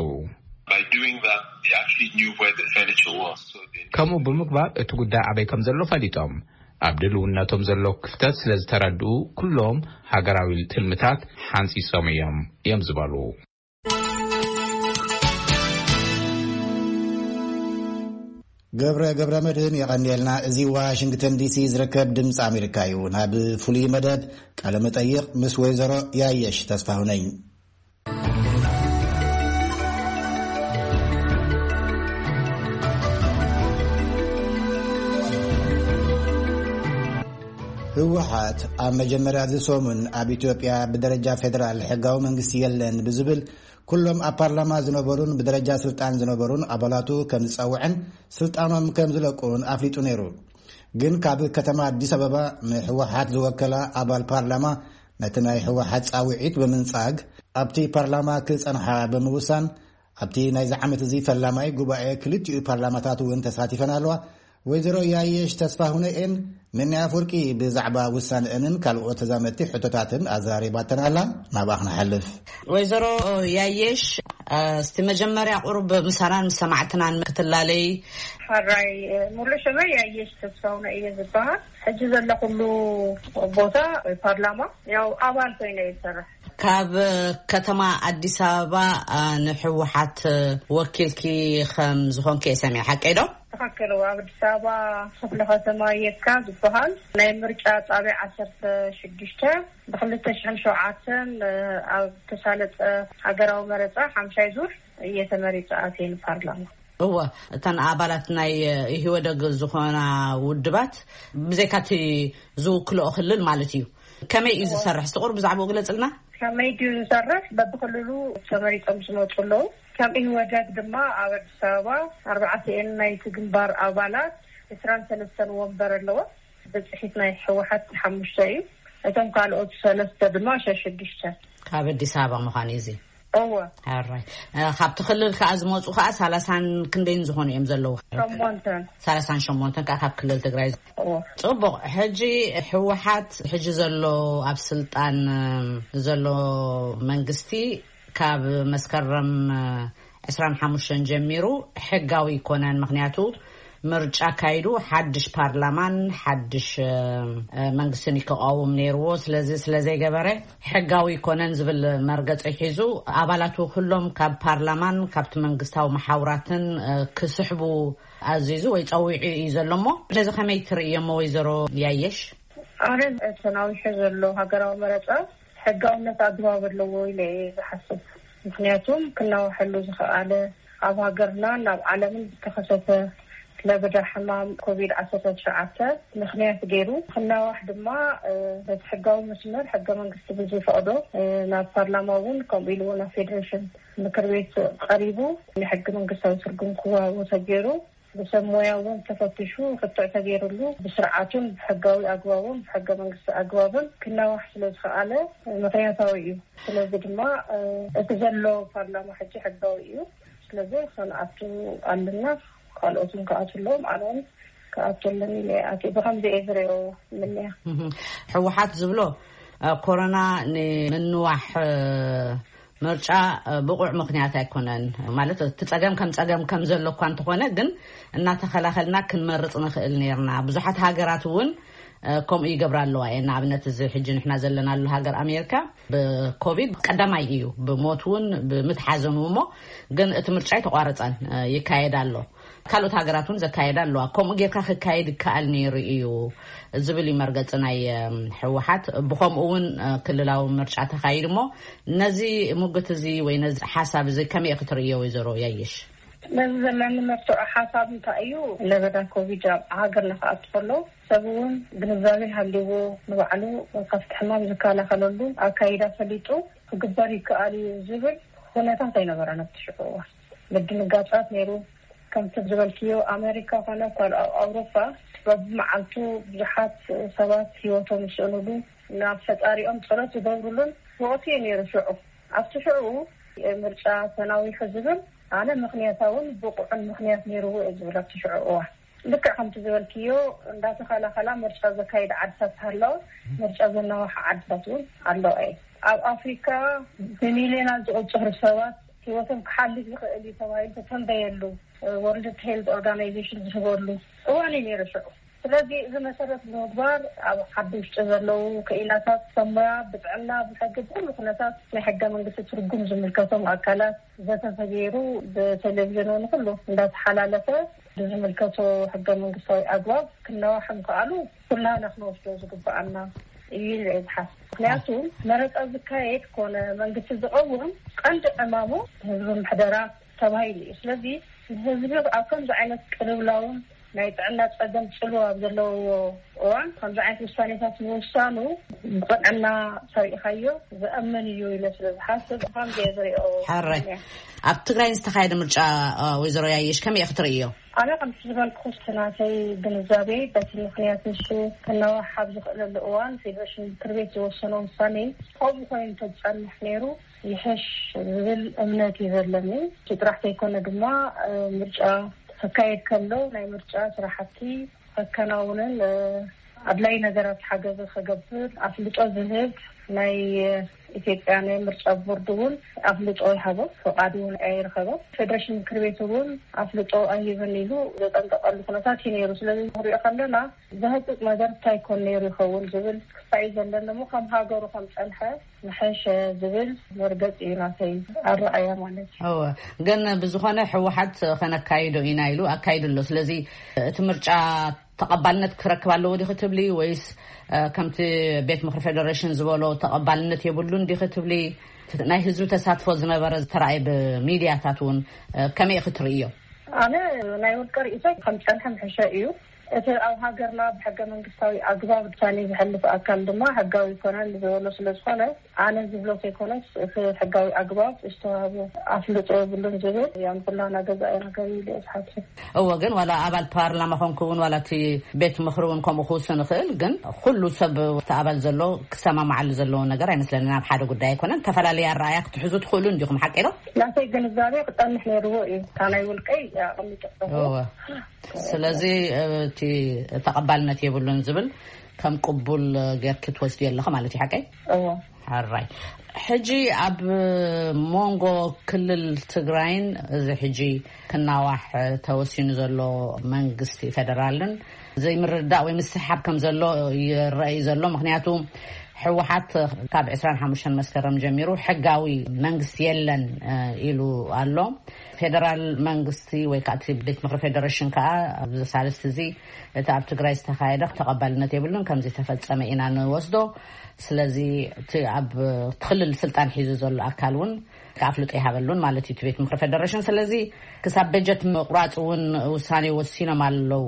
By doing that, they actually knew where the furniture was. So they ከምኡ ብምግባር እቲ ጉዳይ ኣበይ ከም ዘሎ ፈሊጦም፣ ኣብ ድልውነቶም ዘሎ ክፍተት ስለ ዝተረድኡ ኩሎም ሃገራዊ ትልምታት ሓንጺጾም እዮም እዮም ዝበሉ። ገብረ ገብረ መድህን የቐንየልና። እዚ ዋሽንግተን ዲሲ ዝርከብ ድምፂ ኣሜሪካ እዩ። ናብ ፍሉይ መደብ ቃለ መጠይቕ ምስ ወይዘሮ ያየሽ ተስፋሁነኝ። ህወሓት ኣብ መጀመርያ እዚ ሰሙን ኣብ ኢትዮጵያ ብደረጃ ፌደራል ሕጋዊ መንግስቲ የለን ብዝብል፣ ኩሎም ኣብ ፓርላማ ዝነበሩን ብደረጃ ስልጣን ዝነበሩን ኣባላቱ ከም ዝጸውዐን ስልጣኖም ከም ዝለቁን ኣፍሊጡ ነይሩ። ግን ካብ ከተማ ኣዲስ ኣበባ ንህወሓት ዝወከላ ኣባል ፓርላማ ነቲ ናይ ህወሓት ጻውዒት ብምንጻግ ኣብቲ ፓርላማ ክጸንሓ ብምውሳን ኣብቲ ናይዚ ዓመት እዚ ፈላማይ ጉባኤ ክልቲኡ ፓርላማታት እውን ተሳቲፈን ኣለዋ። ወይዘሮ ያየሽ ተስፋ ሁነኤን ነኒ ኣፍወርቂ ብዛዕባ ውሳነአንን ካልኦት ተዛመድቲ ሕቶታትን ኣዘራሪባተን ኣላ። ናብኣ ክንሓልፍ። ወይዘሮ ያየሽ፣ እስቲ መጀመርያ ቁሩብ ምሳናን ምስ ሰማዕትናን ክትላለይ። ሕራይ፣ ሙሉእ ሽመይ ያየሽ ተስፋ ሁነ እየ ዝበሃል። ሕጂ ዘለኹሉ ቦታ ፓርላማ ያው ኣባል ኮይነ እየ ዝሰርሕ። ካብ ከተማ ኣዲስ ኣበባ፣ አ፣ ንሕወሓት ወኪልኪ ከም ዝኾንኪ እየ ሰሚዐ፣ ሓቀይ ዶ? ትኽክል። ኣብ ኣዲስ ኣበባ ክፍለ ከተማ የካ ዝበሃል ናይ ምርጫ ጣብያ ዓሰርተ ሽዱሽተ ብክልተ ሽሕን ሸውዓተን ኣብ ተሳለጠ ሃገራዊ መረፃ ሓምሻይ ዙር እየ ተመሪፀ ኣትየ ንፓርላማ። እወ፣ እተን ኣባላት ናይ ኢህወደግ ዝኾና ውድባት ብዘይካቲ ዝውክልኦ ክልል ማለት እዩ። ከመይ እዩ ዝሰርሕ? ስቑር ብዛዕባኡ ግለጽልና። ከመይ ድዩ ዝሰርሕ? በብክልሉ ተመሪጾም ዝመጹ ኣለዉ። ከም ኢህወደግ ድማ ኣብ ኣዲስ ኣበባ ኣርባዕተ እየን ናይቲ ግንባር ኣባላት፣ ዕስራን ሰለስተን ወንበር ኣለዎ። ብጽሒት ናይ ህወሓት ሓሙሽተ እዩ። እቶም ካልኦት ሰለስተ ድማ ሸሽዱሽተ። ካብ ኣዲስ ኣበባ ምዃኑ እዩ እዚ። እወ። ሕራይ። እ፣ ካብቲ ክልል ከኣ ዝመጹ ከኣ ሰላሳን ክንደይን ዝኾኑ እዮም ዘለዉ? ሸሞንተን። ሰላሳን ሸሞንተን ከኣ ካብ ክልል ትግራይ። እወ። ጽቡቕ። ሕጂ ህወሓት ሕጂ ዘሎ ኣብ ስልጣን፣ እ፣ ዘሎ መንግስቲ ካብ መስከረም፣ እ፣ ዕስራን ሓሙሽተን ጀሚሩ ሕጋዊ ኣይኮነን። ምኽንያቱ ምርጫ ኣካይዱ ሓድሽ ፓርላማን ሓድሽ፣ እ፣ እ፣ መንግስትን ክቃወም ነይርዎ። ስለዚ ስለ ዘይገበረ ሕጋዊ ኣይኮነን ዝብል መርገጺ ሒዙ ኣባላቱ ኩሎም ካብ ፓርላማን ካብቲ መንግስታዊ መሓውራትን፣ እ፣ ክስሕቡ ኣዚዙ ወይ ጸዊዑ እዩ ዘሎ። እሞ ስለዚ ከመይ ትርእዮሞ ወይዘሮ ያየሽ? ኣነ ተናዊሑ ዘሎ ሃገራዊ መረጻ ሕጋውነት ኣግባብ ኣለዎ ኢለ እየ ዝሓስብ። ምኽንያቱም ክናዋሐሉ ዝኸኣለ ኣብ ሃገርናን ኣብ ዓለምን ዝተኸሰተ ለበዳ ሕማም ኮቪድ ዓሰርተ ትሽዓተ ምኽንያት ገይሩ ክናዋሕ ድማ፣ እ፣ በቲ ሕጋዊ መስመር ሕገ መንግስቲ ብዝፈቕዶ፣ እ፣ ናብ ፓርላማ እውን ከምኡ ኢሉ እውን ናብ ፌዴሬሽን ምክር ቤት ቀሪቡ ናይ ሕገ መንግስታዊ ትርጉም ክወሃቦ ተገይሩ ብሰብ ሞያ እውን ተፈቲሹ ክትዕ ተገይሩሉ ብስርዓቱን ብሕጋዊ ኣግባቡን ብሕገ መንግስቲ ኣግባብን ክናዋሕ ስለ ዝኸኣለ ምኽንያታዊ እዩ። ስለዚ ድማ፣ እ፣ እቲ ዘሎ ፓርላማ ሕጂ ሕጋዊ እዩ። ስለዚ ክንኣቱ ኣለና፣ ካልኦት እውን ክኣቱ ኣለዎም፣ ኣነ እውን ክኣቱ ኣለኒ ኢለ እየ ኣትየ። ብኸምዚ እየ ዝሪኦ ምንያ። እህ፣ ህወሓት ዝብሎ፣ እ፣ ኮሮና ንምንዋሕ፣ እ፣ ምርጫ፣ እ፣ ብቑዕ ምኽንያት ኣይኮነን። ማለት እቲ ጸገም ከም ጸገም ከም ዘሎ እኳ እንተኾነ፣ ግን እናተኸላኸልና ክንመርጽ ንኽእል ነይርና። ብዙሓት ሃገራት እውን፣ እ፣ ከምኡ ይገብራ ኣለዋ እየን። ንኣብነት እዚ ሕጂ ንሕና ዘለናሉ ሃገር ኣሜሪካ ብኮቪድ ቀዳማይ እዩ፣ ብሞት እውን ብምትሓዘን እሞ፣ ግን እቲ ምርጫ ኣይተቋረጸን፣ እ፣ ይካየድ ኣሎ። ካልኦት ሃገራት እውን ዘካየዳ ኣለዋ። ከምኡ ጌርካ ክካየድ ይከኣል ነይሩ እዩ ዝብል እዩ መርገጺ ናይ፣ እም፣ ህወሓት። ብኸምኡ እውን፣ እ፣ ክልላዊ ምርጫ ተኻይዱ። እሞ ነዚ ሙግት እዚ ወይ ነዚ ሓሳብ እዚ ከመይ ክትርእዮ ወይዘሮ ያየሽ? ነዚ ዘለኒ መርትዖ ሓሳብ እንታይ እዩ? ለበዳ ኮቪድ ኣብ ሃገርና ክኣቱ ከሎ ሰብ እውን ግንዛቤ ሃልይዎ ንባዕሉ ካብቲ ሕማም ዝከላኸለሉ ኣካይዳ ፈሊጡ ክግበር ይከኣል እዩ ዝብል ኩነታት ኣይነበረን ኣብቲ ሽዑ እዋን። ምድንጋጻት ነይሩ። ከምቲ ዝበልክዮ ኣሜሪካ ኮነ ካልኦ ኣውሮፓ በብመዓልቱ ብዙሓት ሰባት ህይወቶም ዝስእኑሉ ናብ ፈጣሪኦም ጸሎት ዝገብሩሉን ወቕቲ እዩ ነይሩ ሽዑ። ኣብቲ ሽዑ ምርጫ ተናዊሑ ዝብል ኣነ ምኽንያታውን ብቑዕን ምኽንያት ነይርዎ እየ ዝብል ኣብቲ ሽዑ እዋን። ልክዕ ከምቲ ዝበልክዮ እንዳተኸላኸላ ምርጫ ዘካይዳ ዓድታት ሃለዋ ምርጫ ዘናዋሓ ዓድታት እውን ኣለዋ እየ። ኣብ ኣፍሪካ ብሚልዮናት ዝቑፅሩ ሰባት ህይወቶም ክሓልፍ ይኽእል እዩ ተባሂሉ ተተንበየሉ ወርልድ ሄልት ኦርጋናይዜሽን ዝህበሉ እዋን እዩ ነይሩ ሽዑ። ስለዚ እዚ መሰረት ብምግባር ኣብ ዓዲ ውሽጢ ዘለዉ ክኢላታት ሰብ ሞያ ብጥዕና ብሕጊ ብኩሉ ኩነታት ናይ ሕገ መንግስቲ ትርጉም ዝምልከቶም ኣካላት ዘተ ተገይሩ ብቴሌቪዥን እውን ኩሉ እንዳተሓላለፈ ብዝምልከቶ ሕገ መንግስታዊ ኣግባብ ክነዋሕ ምክኣሉ ኩላና ክንወስዶ ዝግበኣና እዩ ኢለ እየ ዝሓስብ። ምክንያቱ መረፃ ዝካየድ ኮነ መንግስቲ ዝቐውም ቀንዲ ዕማሙ ህዝቢ ምሕደራ ተባሂሉ እዩ። ስለዚ ንህዝቢ ኣብ ከምዚ ዓይነት ቅልውላውን ናይ ጥዕና ፀገም ፅልዋ ኣብ ዘለዎ እዋን ከምዚ ዓይነት ውሳኔታት ምውሳኑ ብቅንዕና ሰሪእኻዮ ዘእምን እዩ ኢለ ስለ ዝሓስብ ከምዚ እየ ዝሪኦ። ሕራይ። ኣብ ትግራይ ዝተኻየደ ምርጫ ወይዘሮ ያየሽ ከመይ ክትርእዮ? ኣነ ከምቲ ዝበልኩ ናተይ ግንዛቤ በቲ ምክንያት ንሱ ክነዋሕ ኣብ ዝኽእለሉ እዋን ፌዴሬሽን ምክር ቤት ዝወሰኖ ውሳኔ ከምኡ ኮይኑ እንተዝፀንሕ ነይሩ ይሕሽ ዝብል እምነት እዩ ዘለኒ። እቲ ጥራሕ ዘይኮነ ድማ ምርጫ ክካየድ ከሎ ናይ ምርጫ ስራሕቲ ከከናውንን ኣድላይ ነገራት ሓገዘ ክገብር ኣፍልጦ ዝህብ ናይ ኢትዮጵያ ናይ ምርጫ ቦርድ እውን ኣፍልጦ ይሃቦ፣ ፍቓድ እውን ኣይረኸቦ። ፌዴሬሽን ምክር ቤት እውን ኣፍልጦ ኣይህብን ኢሉ ዘጠንቀቀሉ ኩነታት እዩ ነይሩ። ስለዚ ንሪኦ ከለና ዘህጥጥ ነገር እንታይ ኮን ነይሩ ይኸውን ዝብል ክሳይ ዘለኒ እሞ ከም ሃገሩ ከም ፀንሐ ምሐሸ ዝብል መርገፂ እዩ ናተይ ኣረኣያ ማለት እዩ። እወ፣ ግን ብዝኾነ ህወሓት ከነካይዶ ኢና ኢሉ ኣካይዱ ኣሎ። ስለዚ እቲ ምርጫ ተቐባልነት ክረክብ ኣለዎ ዲኺ ትብሊ ወይስ ከምቲ ቤት ምኽሪ ፌደሬሽን ዝበሎ ተቐባልነት የብሉን ዲኺ ትብሊ? ናይ ህዝቢ ተሳትፎ ዝነበረ ዝተረኣየ ብሚድያታት እውን ከመይ ክትርእዮ? ኣነ ናይ ውልቀ ርእይቶ ከም ፀንሐ ምሕሸ እዩ። እቲ ኣብ ሃገርና ብሕገ መንግስታዊ ኣግባብ ውሳኔ ዝሕልፍ ኣካል ድማ ሕጋዊ ይኮነን ዝበሎ ስለዝኾነ ኣነ ዝብሎ ከይኮነስ እቲ ሕጋዊ ኣግባብ ዝተዋህቦ ኣፍልጦ የብሉን ዝብል ያም ኩላና ገዛኢ ነገር እዩ ኢለ እየ ዝሓስብ። እወ፣ ግን ዋላ ኣባል ፓርላማ ኮንኩ እውን ዋላ እቲ ቤት ምኽሪ እውን ከምኡ ክውስን ይኽእል፣ ግን ኩሉ ሰብ እቲ ኣባል ዘሎ ክሰማማዓሉ ዘለዎ ነገር ኣይመስለንን። ኣብ ሓደ ጉዳይ ኣይኮነን፣ ተፈላለየ ኣረኣያ ክትሕዙ ትኽእሉ እንዲኹም፣ ሓቂ ዶ? ናተይ ግንዛቤ ክፀንሕ ነይርዎ እዩ። እታ ናይ ውልቀይ ኣቐሚጠ እወ። ስለዚ እቲ ተቐባልነት የብሉን ዝብል ከም ቅቡል ጌርኪ ትወስድዮ ኣለኺ ማለት እዩ፣ ሓቀይ? እዎ። ሕራይ። ሕጂ ኣብ መንጎ ክልል ትግራይን እዚ ሕጂ ክናዋሕ ተወሲኑ ዘሎ መንግስቲ ፌደራልን ዘይምርዳእ ወይ ምስሕሓብ ከም ዘሎ ይረኣይ ዘሎ። ምክንያቱ ህወሓት ካብ ዕስራን ሓሙሽተን መስከረም ጀሚሩ ሕጋዊ መንግስቲ የለን ኢሉ ኣሎ። ፌደራል መንግስቲ ወይ ከዓ እቲ ቤት ምክሪ ፌደሬሽን ከዓ ኣብዚ ሳልስቲ እዚ እቲ ኣብ ትግራይ ዝተካየደ ተቐባልነት የብሉን፣ ከምዚ ተፈጸመ ኢና ንወስዶ። ስለዚ እቲ ኣብ ክልል ስልጣን ሒዙ ዘሎ ኣካል እውን ኣፍልጦ ይሃበሉን ማለት እዩ እቲ ቤት ምክሪ ፌደሬሽን። ስለዚ ክሳብ በጀት ምቁራፅ እውን ውሳኔ ወሲኖም ኣለዉ።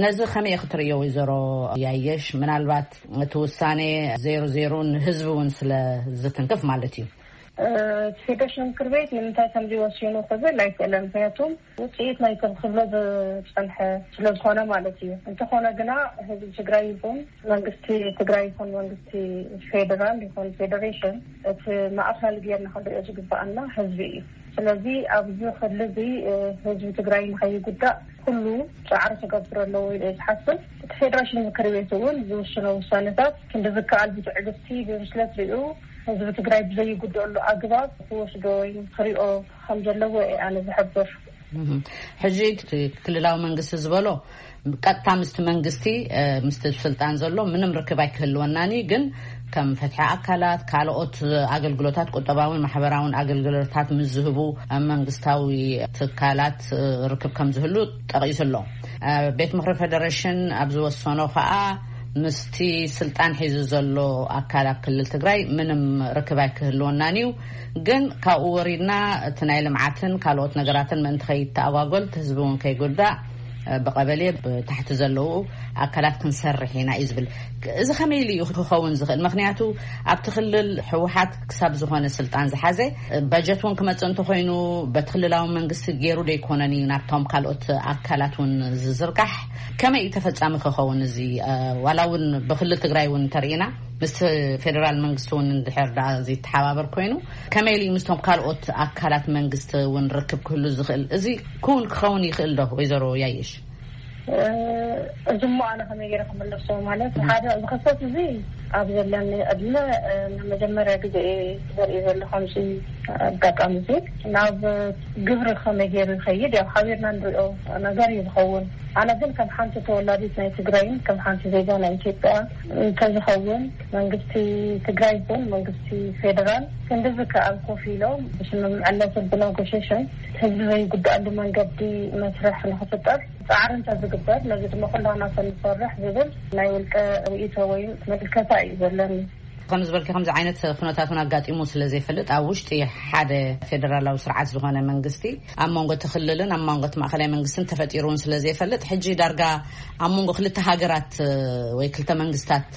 ነዚ ከመይ ክትርእዮ ወይዘሮ ያየሽ? ምናልባት እቲ ውሳኔ ዜሮ ዜሮ ንህዝቢ እውን ስለ ዝትንክፍ ማለት እዩ። እቲ ፌደሬሽን ምክር ቤት ንምንታይ ከምዚ ወሲኑ ክብል ኣይክእለን። ምክንያቱም ውፅኢት ናይ ክብሎ ዝፀንሐ ስለዝኾነ ማለት እዩ። እንተኾነ ግና ህዝቢ ትግራይ ይኹን መንግስቲ ትግራይ ይኹን መንግስቲ ፌደራል ይኹን ፌደሬሽን እቲ ማእኸል ጌርና ክንሪኦ ዝግበኣና ህዝቢ እዩ። ስለዚ ኣብዚ ክሊ እዚ ህዝቢ ትግራይ ንኸይጉዳእ ኩሉ ፃዕሪ ክገብር ኣለዎ ኢለ ዝሓስብ። እቲ ፌደሬሽን ምክር ቤት እውን ዝውስኖ ውሳነታት ክንዲ ዝከኣል ብትዕግስቲ ብብስለት ሪኡ ህዝቢ ትግራይ ብዘይጉደኣሉ ኣግባብ ክወስዶ ወይ ክሪኦ ከም ዘለዎ እየ ኣነ ዝሕብር። ሕጂ ክልላዊ መንግስቲ ዝበሎ ቀጥታ ምስቲ መንግስቲ ምስቲ ስልጣን ዘሎ ምንም ርክብ ኣይክህልወናን እዩ። ግን ከም ፍትሒ ኣካላት ካልኦት ኣገልግሎታት ቁጠባውን ማሕበራውን ኣገልግሎታት ምስ ዝህቡ መንግስታዊ ትካላት ርክብ ከም ዝህሉ ጠቒሱ ኣሎ። ቤት ምክሪ ፌደሬሽን ኣብ ዝወሰኖ ከዓ ምስቲ ስልጣን ሒዙ ዘሎ ኣካል ኣብ ክልል ትግራይ ምንም ርክብ ኣይክህልወናን እዩ። ግን ካብኡ ወሪድና እቲ ናይ ልምዓትን ካልኦት ነገራትን ምእንቲ ከይተኣጓጎል፣ እቲ ህዝቢ እውን ከይጉዳእ፣ ብቐበሌ ብታሕቲ ዘለዉ ኣካላት ክንሰርሕ ኢና እዩ ዝብል። እዚ ከመይ ኢሉ እዩ ክኸውን ዝኽእል? ምኽንያቱ ኣብቲ ክልል ህወሓት ክሳብ ዝኾነ ስልጣን ዝሓዘ፣ በጀት እውን ክመጽእ እንተኾይኑ በቲ ክልላዊ መንግስቲ ገይሩ ደይኮነን እዩ ናብቶም ካልኦት ኣካላት እውን ዝዝርጋሕ። ከመይ እዩ ተፈጻሚ ክኸውን እዚ? ዋላ እውን ብክልል ትግራይ እውን እንተርኢና፣ ምስ ፌደራል መንግስቲ እውን እንድሕር ደኣ ዘይተሓባበር ኮይኑ፣ ከመይ ኢሉ ምስቶም ካልኦት ኣካላት መንግስቲ እውን ርክብ ክህሉ ዝኽእል? እዚ ክውን ክኸውን ይኽእል ዶ? ወይዘሮ ያየሽ? እዚ እሞ ኣነ ከመይ ገይረ ክምለሶ? ማለት ሓደ ዝኸሰት እዚ ኣብ ዘለኒ ዕድመ ንመጀመርያ ግዜ ዘርኢ ዘሎ ከምዚ ኣጋጣሚ እዚ ናብ ግብሪ ከመይ ገይሩ ይኸይድ? ያው ሓቢርና ንሪኦ ነገር እዩ ዝኸውን። ኣነ ግን ከም ሓንቲ ተወላዲት ናይ ትግራይን ከም ሓንቲ ዜጋ ናይ ኢትዮጵያ እንተዝኸውን፣ መንግስቲ ትግራይ ይኹን መንግስቲ ፌደራል ክንዲ ዝከኣል ኮፍ ኢሎም ብስምምዕነትን ብነጎሽሽን ህዝቢ ዘይጉዳኣሉ መንገዲ መስርሕ ንክፍጠር ፃዕሪ እንተዝግበር፣ ነዚ ድማ ኩላና ተንሰርሕ ዝብል ናይ ውልቀ ርእይቶ ወይ ምልከታ እዩ ዘለኒ። ከም ዝበልኪ ከምዚ ዓይነት ኩነታት እውን ኣጋጢሙ ስለ ዘይፈልጥ፣ ኣብ ውሽጢ ሓደ ፌደራላዊ ስርዓት ዝኾነ መንግስቲ ኣብ መንጎ እቲ ክልልን ኣብ መንጎ እቲ ማእኸላይ መንግስትን ተፈጢሩ እውን ስለ ዘይፈልጥ፣ ሕጂ ዳርጋ ኣብ መንጎ ክልተ ሃገራት ወይ ክልተ መንግስታት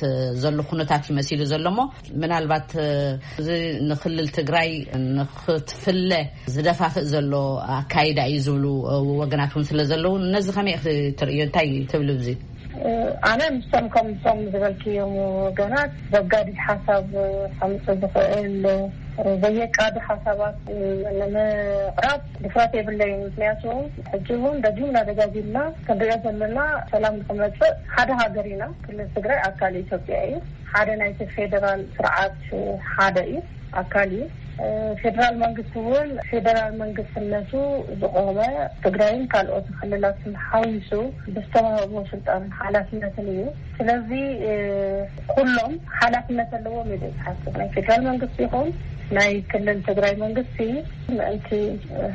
ዘሎ ኩነታት እዩ መሲሉ ዘሎ። እሞ ምናልባት እዚ ንክልል ትግራይ ንክትፍለ ዝደፋፍእ ዘሎ ኣካይዳ እዩ ዝብሉ ወገናት እውን ስለ ዘለዉ፣ ነዚ ከመይ ኢኺ ትርእዮ? እንታይ ትብሉ ብዚ? ኣነ ምስቶም ከምቶም ዝበልክዮም ወገናት ዘጋድድ ሓሳብ ከምፅእ ዝኽእል ዘየቃዱ ሓሳባት ንምቕራብ ድፍረት የብለይን። ምክንያቱ ሕጂ እውን ደጊምና ደጋጊምና ክንሪኦ ዘለና፣ ሰላም ንክመፅእ ሓደ ሃገር ኢና። ክልል ትግራይ ኣካል ኢትዮጵያ እዩ። ሓደ ናይቲ ፌደራል ስርዓት ሓደ እዩ፣ ኣካል እዩ። ፌደራል መንግስቲ እውን ፌደራል መንግስትነቱ ዝቆመ ትግራይን ካልኦት ክልላትን ሓዊሱ ብዝተዋህቦ ስልጣንን ሓላፍነትን እዩ። ስለዚ ኩሎም ሓላፍነት ኣለዎም ኢለ ዝሓስብ፣ ናይ ፌደራል መንግስቲ ይኹን ናይ ክልል ትግራይ መንግስቲ፣ ምእንቲ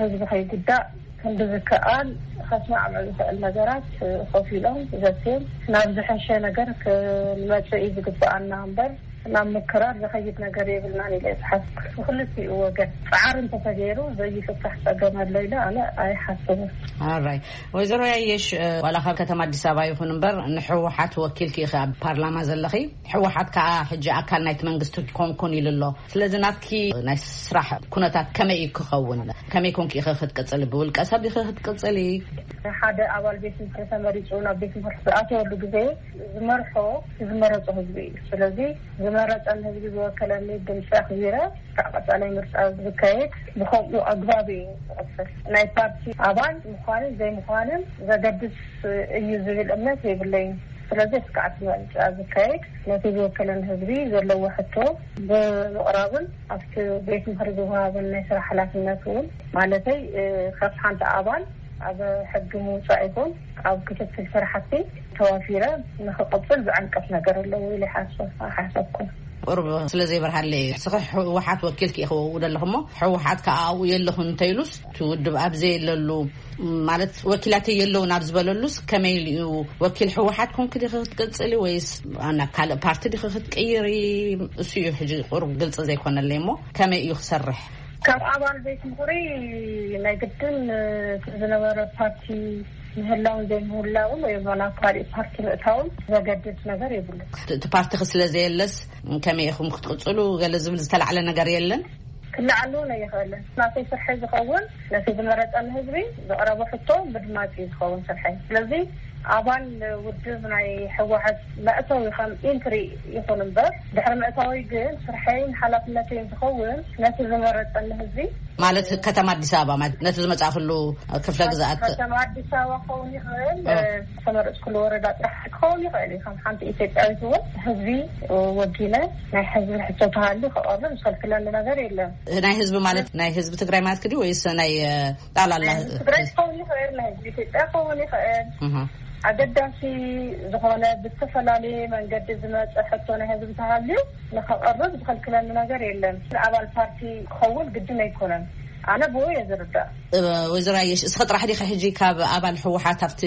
ህዝቢ ከይጉዳእ ክንዲ ዝከኣል ከስማዕምዕ ዝኽእል ነገራት ኮፍ ኢሎም ዘትዮም ናብ ዝሐሸ ነገር ክንመፅእ እዩ ዝግበኣና እምበር፣ ናብ ምክራር ዝኸይድ ነገር የብልናን ኢለ ዝሓስብ። ብክልቲኡ ወገን ፃዕሪ እንተተገይሩ ዘይፍታሕ ፀገም ኣሎ ኢለ ኣነ ኣይሓስብን። ኣራይ፣ ወይዘሮ ያየሽ፣ ዋላ ካብ ከተማ ኣዲስ ኣበባ ይኹን እምበር ንሕወሓት ወኪልኪ ኢኺ ኣብ ፓርላማ ዘለኺ። ሕወሓት ከዓ ሕጂ ኣካል ናይቲ መንግስቲ ኮንኩን ኢሉ ኣሎ። ስለዚ ናትኪ ናይ ስራሕ ኩነታት ከመይ እዩ ክኸውን? ከመይ ኮንኪ ኢኺ ክትቅፅሊ? ብውልቀ ሰብ ኢኺ ክትቅፅሊ? ሓደ ኣባል ቤት ምኽሪ ተመሪፁ ናብ ቤት ምኽሪ ዝኣተወሉ ግዜ ዝመርሖ ዝመረፆ ህዝቢ እዩ። ስለዚ ዝመረፀን ህዝቢ ዝወከለኒ ድምፂ ኣኽቢረ ካብ ቀፃላይ ምርጫ ዝካየድ ብከምኡ ኣግባብ እዩ ዝቕፅል። ናይ ፓርቲ ኣባል ምዃንን ዘይምዃንን ዘገድስ እዩ ዝብል እምነት የብለይን። ስለዚ እስካዕ እቲ ምርጫ ዝካየድ ነቲ ዝወከለን ህዝቢ ዘለዎ ሕቶ ብምቕራብን ኣብቲ ቤት ምኽሪ ዝወሃበን ናይ ስራሕ ሓላፍነት እውን፣ ማለተይ ካብ ሓንቲ ኣባል ኣብ ሕጊ ምውፃእ ይኹን ኣብ ክትትል ስራሕቲ ተዋፊረ ንክቕፅል ዝዕንቅፍ ነገር ኣለዎ ኢለ ይሓስብ ኣይሓሰብኩን። ቁሩብ ስለ ዘይበርሃለይ፣ እስኺ ህወሓት ወኪልኪ ኢኺ ወው ዘለኹ እሞ፣ ህወሓት ከዓ ኣብኡ የለኹን እንተኢሉስ፣ እቲ ውድብ ኣብ ዘየለሉ፣ ማለት ወኪላተይ የለውን ኣብ ዝበለሉስ፣ ከመይ ኢሉ እዩ? ወኪል ህወሓት ኮንኪ ዲኺ ክትቅፅሊ ወይስ ናብ ካልእ ፓርቲ ዲኺ ክትቅይሪ? እሱ እዩ ሕጂ ቁሩብ ግልፂ ዘይኮነለይ እሞ፣ ከመይ እዩ ክሰርሕ? ካብ ኣባል ቤት ምኽሪ ናይ ግድን እቲ ዝነበረ ፓርቲ ምህላውን ዘይምህላውን ወይ ናብ ካልእ ፓርቲ ምእታውን ዘገድድ ነገር የብሉን። እቲ ፓርቲኺ ስለ ዘየለስ ከመይ ኢኹም ክትቅፅሉ ገለ ዝብል ዝተላዕለ ነገር የለን? ክለዓል እውን ኣይኽእልን። ናተይ ስርሐይ ዝኸውን ነቲ ዝመረፀኒ ህዝቢ ዘቕረቦ ሕቶ ምድማፅ እዩ ዝኸውን ስርሐይ። ስለዚ ኣባል ውድብ ናይ ህወሓት መእተዊ ከም ኢንትሪ ይኹን እምበር፣ ድሕሪ ምእታወይ ግን ስርሐይን ሓላፍነተይን ዝኸውን ነቲ ዝመረፀኒ ህዝቢ፣ ማለት ከተማ ኣዲስ ኣበባ፣ ማለት ነቲ ዝመፃእክሉ ክፍለ ግዝኣት። ከተማ ኣዲስ ኣበባ ክኸውን ይኽእል፣ እ። ዝተመረፅኩሉ ወረዳ ጥራሕ ክኸውን ይኽእል እዩ። ከም ሓንቲ ኢትዮጵያዊት እውን ህዝቢ ወጊነ ናይ ህዝቢ ሕቶ ተሃልዩ ክቐርብ ዝኸልክለኒ ነገር የለን። ናይ ህዝቢ ማለት ናይ ህዝቢ ትግራይ ማለት ክዲ ወይስ ናይ፣ እ፣ ጣላላ? ናይ ህዝቢ ትግራይ ክኸውን ይኽእል፣ ናይ ህዝቢ ኢትዮጵያ ክኸውን ይኽእል። እህ። ኣገዳሲ ዝኾነ ብዝተፈላለየ መንገዲ ዝመፀ ሕቶ ናይ ህዝቢ ተሃልዩ ንኸቐርብ ዝኸልክለኒ ነገር የለን። ኣባል ፓርቲ ክኸውን ግድን ኣይኮነን። ኣነ ብኡ እየ ዝርዳእ። ወይዘሮ ኣየሽ፣ እስኸ ጥራሕ ዲኸ ሕጂ ካብ ኣባል ህወሓት ኣብቲ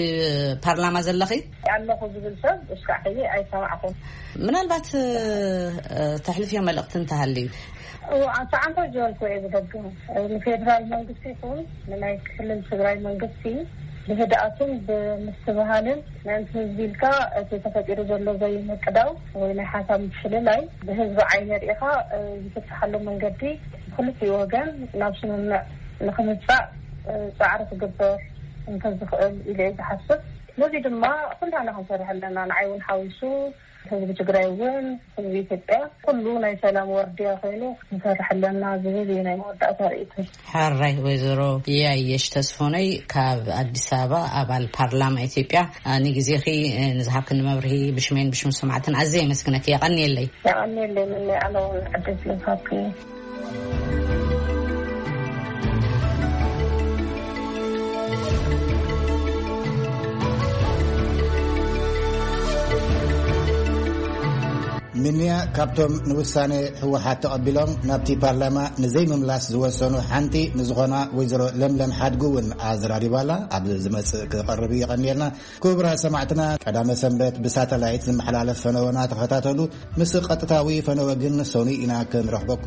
ፓርላማ ዘለኺ? ኣለኹ ዝብል ሰብ እስካዕ ሕዚ ኣይሰማዕኹን። ምናልባት ተሕልፍዮ መልእኽቲ እንተሃልዩ? ኣንተ ዝበልኩ እየ ዝደግም። ንፌዴራል መንግስቲ ይኹን ንናይ ክልል ትግራይ መንግስቲ ብህድኣትን ብምስትብሃልን ምእንቲ ህዝቢ ኢልካ እቲ ተፈጢሩ ዘሎ ዘይምቅዳው ወይ ናይ ሓሳብ ምፍልላይ ብህዝቢ ዓይኒ ርኢኻ ዝፍትሓሉ መንገዲ ክልቲኡ ወገን ናብ ስምምዕ ንክምፃእ ፃዕሪ ክግበር እንተዝኽእል ኢለ እየ ዝሓስብ። ነዚ ድማ ኩላና ክንሰርሕ ኣለና። ንዓይ እውን ሓዊሱ ህዝቢ ትግራይ እውን ህዝቢ ኢትዮጵያ ኩሉ ናይ ሰላም ወርድያ ኮይኑ ክንሰርሕ ኣለና ዝብል እዩ ናይ መወዳእታ ርእይቶይ። ሓራይ ወይዘሮ ያየሽ ተስፎነይ ካብ ኣዲስ ኣበባ ኣባል ፓርላማ ኢትዮጵያ ንግዜኺ ንዝሃብክኒ መብርሂ ብሽሜን ብሽም ሰማዕትን ኣዝየ የመስግነኪ። የቐንየለይ። የቐንየለይ። ምን ኣነ እውን ዕድል ስለዝሃብክኒ። ምንያ ካብቶም ንውሳነ ህወሓት ተቐቢሎም ናብቲ ፓርላማ ንዘይምምላስ ዝወሰኑ ሓንቲ ንዝኾና ወይዘሮ ለምለም ሓድጉ እውን ኣዘራሪባላ። ኣብ ዝመጽእ ክቐርብ እዩ። የቐንየልና። ክቡራት ሰማዕትና፣ ቀዳመ ሰንበት ብሳተላይት ዝመሓላለፍ ፈነወና ተኸታተሉ። ምስ ቀጥታዊ ፈነወ ግን ሰኑይ ኢና ክንረኽበኩም።